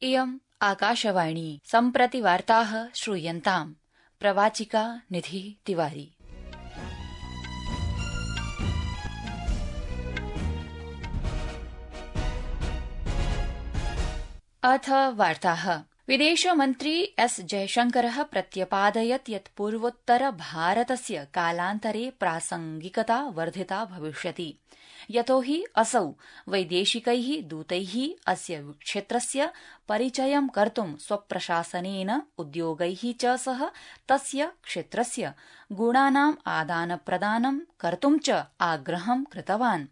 इयम् आकाशवाणी सम्प्रति वार्ताः श्रूयन्ताम्। प्रवाचिका निधि तिवारी। अथ वार्ताः। विदेशमन्त्री एस जयशंकरः प्रत्यपादयत् यत् पूर्वोत्तर भारतस्य कालान्तरे प्रासंगिकता वर्धिता भविष्यति, यतो हि असौ वैदेशिकैः दूतैः अस्य क्षेत्रस्य परिचयं कर्तुं स्वप्रशासनेन उद्योगैः च सह तस्य क्षेत्रस्य गुणानाम् आदानप्रदानं कर्तुं च आग्रहं कृतवान्।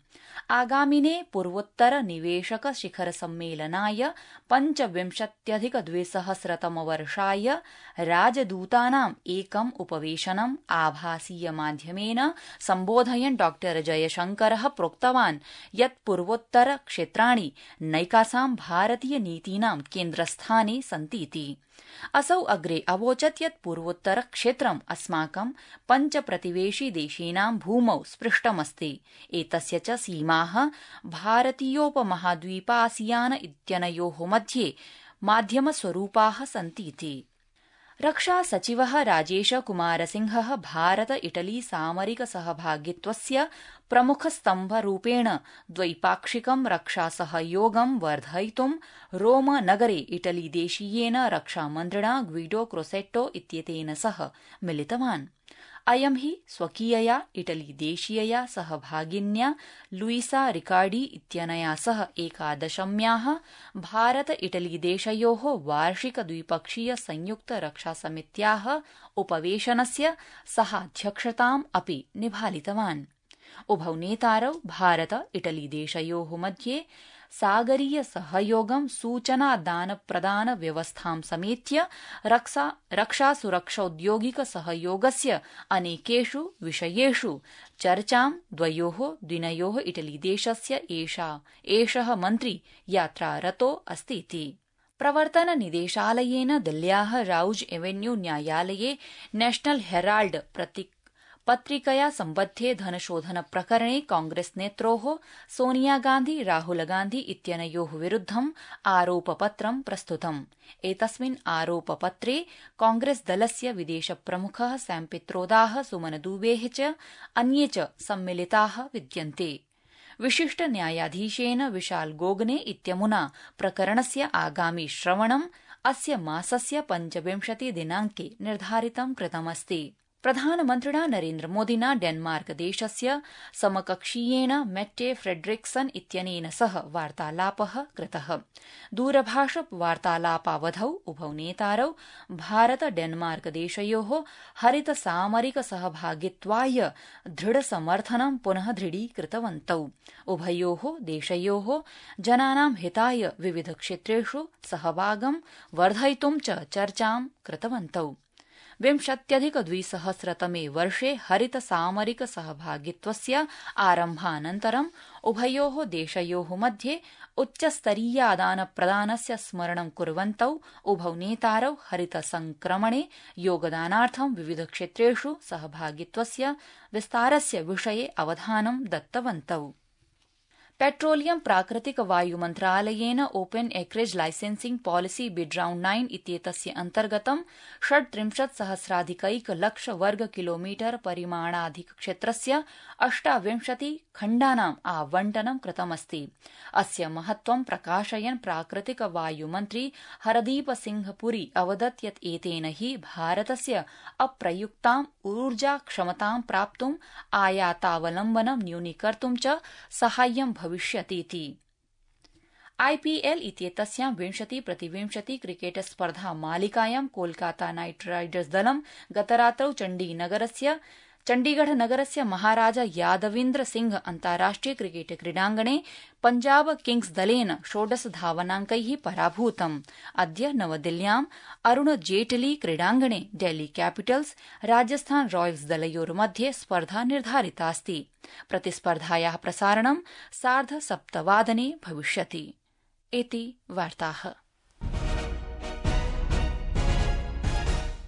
आगामिने पूर्वोत्तर निवेशक शिखर सम्मेलनाय 25,200 राजदूतानाम् एकम् उपवेशनम् आभासीय माध्यमेन सम्बोधयन् डॉ जयशंकरः प्रोक्तवान् यत् पूर्वोत्तर क्षेत्राणि नैकासां भारतीय नीतीनां केन्द्रस्थाने सन्तीति। असौ अग्रे अवोचत् यत् पूर्वोत्तर क्षेत्रम् अस्माकं 5 प्रतिवेशि देशेनां भूमौ स्पृष्टमस्ति। एतस्य च सीमाः भारतीयोपमहाद्वीपासियान इत्यनयोः मध्ये माध्यमस्वरूपाः सन्तीति। रक्षा सचिवः राजेश कुमार सिंहः भारत इटली सामरिक सहभागित्वस्य प्रमुखस्तम्भरूपेण द्वैपाक्षिकं रक्षासहयोगं वर्धयितुं रोम नगरे इटली देशीयेन रक्षामन्त्रिणा ग्विडो क्रोसेट्टो इत्येतेन सह मिलितवान्। अयं हि स्वकीयया इटली देशीयया सहभागिन्या लुईसा रिकार्डी इत्यनया सह 11म्याः भारत इटली देशयोः वार्षिक द्विपक्षीय संयुक्त रक्षासमित्याः उपवेशनस्य सहाध्यक्षताम् अपि निभालितवान्। उभौ नेतारौ भारत इटली देशयोः मध्ये सागरीय सहयोगं सूचनादानप्रदान व्यवस्थां समेत्य रक्षा सुरक्षौद्योगिक सहयोगस्य अनेकेषु विषयेषु चर्चां द्वयोः दिनयोः इटली देशस्य एषः मन्त्री यात्रारतो अस्तीति। प्रवर्तन निदेशालयेन दिल्ल्याः राउज एवेन्यू न्यायालये नेशनल हेराल्ड पत्रिकया सम्बद्धे धनशोधन प्रकरणे कांग्रेस नेत्रोः सोनिया गांधी राहुल गांधी इत्यनयोः विरुद्धम् आरोपपत्रं प्रस्तुतम्। एतस्मिन् आरोपपत्रे कांग्रेस दलस्य विदेशप्रमुखः सैम पित्रोदाः, सुमन दुबेः च अन्ये च सम्मिलिताः विद्यन्ते। विशिष्ट न्यायाधीशेन विशाल गोगने इत्यमुना प्रकरणस्य आगामि श्रवणम् अस्य मासस्य 25 दिनाङ्के निर्धारितं कृतमस्ति। प्रधानमन्त्रिणा नरेन्द्रमोदिना डेनमार्क देशस्य समकक्षीयेन मेट्टे फ्रेडरिक्सन इत्यनेन सह वार्तालापः कृतः। दूरभाष वार्तालापावधौ उभौ नेतारौ भारत डेनमार्क देशयोः हरित सामरिक सहभागित्वाय दृढसमर्थनं पुनः दृढीकृतवन्तौ। उभयोः देशयोः जनानां हिताय विविध क्षेत्रेषु सहभागं वर्धयितुं च चर्चां कृतवन्तौ। 20,200तमे वर्षे हरित सामरिक सहभागित्वस्य आरम्भानन्तरम् उभयोः देशयोः मध्ये उच्चस्तरीयादानप्रदानस्य स्मरणं कुर्वन्तौ उभौ नेतारौ हरित संक्रमणे योगदानार्थं विविध क्षेत्रेषु सहभागित्वस्य विस्तारस्य विषये अवधानं दत्तवन्तौ। पेट्रोलियम प्राकृतिक वायु मन्त्रालयेन open acreage licensing policy bid round 9 इत्येतस्य अन्तर्गतं 37,000 वर्ग किलोमीटर परिमाणाधिकक्षेत्रस्य 28 खण्डानाम् आवण्टनं कृतमस्ति। अस्य महत्त्वं प्रकाशयन् प्राकृतिक वायु मन्त्री हरदीप सिंह पुरी अवदत् यत् एतेन हि भारतस्य अप्रयुक्ताम् ऊर्जा क्षमतां प्राप्तुम् आयातावलम्बनं न्यूनीकर्तुं च साहाय्यं भविष्यतीति। आईपीएल इत्येतस्यां 20-20 क्रिकेट स्पर्धा मालिकायां कोलकाता नाइट राइडर्स दलं गतरात्रौ चण्डीगढ़नगरस्य महाराजा यादवीन्द्र सिंह अन्ताराष्ट्रिय क्रिकेट क्रीडाङ्गणे पंजाब किंग्स दलेन 16 धावनाङ्कैः पराभूतम्। अद्य नवदिल्ल्याम् अरुण जेटली क्रीडाङ्गणे डेल्ही कैपिटल्स राजस्थान रॉयल्स दलयोर्मध्ये स्पर्धा निर्धारितास्ति। प्रतिस्पर्धायाः प्रसारणं 7:30 भविष्यति। इति वार्ताः।